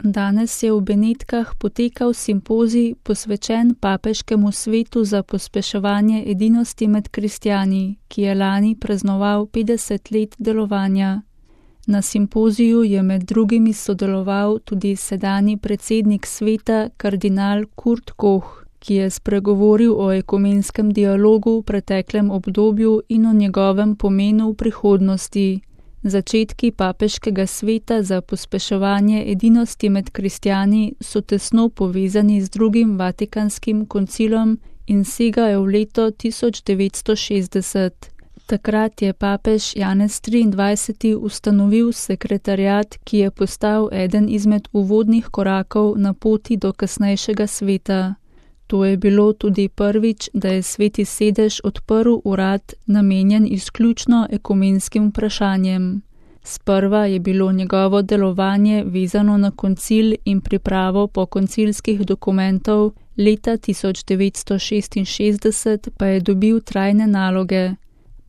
Danes je v Benetkah potekal simpozij posvečen papeškemu svetu za pospeševanje edinosti med kristjani, ki je lani praznoval 50 let delovanja. Na simpoziju je med drugimi sodeloval tudi sedanji predsednik sveta kardinal Kurt Koch, ki je spregovoril o ekumenskem dialogu v preteklem obdobju in o njegovem pomenu v prihodnosti. Začetki papeškega sveta za pospeševanje edinosti med kristjani so tesno povezani z drugim Vatikanskim koncilom in segajo v leto 1960. Takrat je papež Janez XXIII. Ustanovil sekretariat, ki je postal eden izmed uvodnih korakov na poti do kasnejšega sveta. To je bilo tudi prvič, da je Sveti sedež odprl urad, namenjen izključno ekumenskim vprašanjem. Sprva je bilo njegovo delovanje vezano na koncil in pripravo pokoncilskih dokumentov, leta 1966 pa je dobil trajne naloge.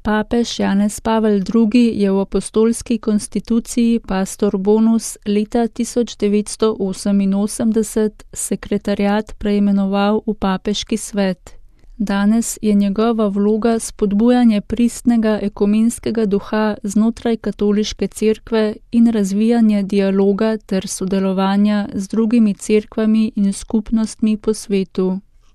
Papež Janez Pavel II. Je v apostolski konstituciji Pastor Bonus leta 1988 sekretariat preimenoval v papeški svet. Danes je njegova vloga spodbujanje pristnega ekumenskega duha znotraj katoliške cerkve in razvijanje dialoga ter sodelovanja z drugimi cerkvami in skupnostmi po svetu.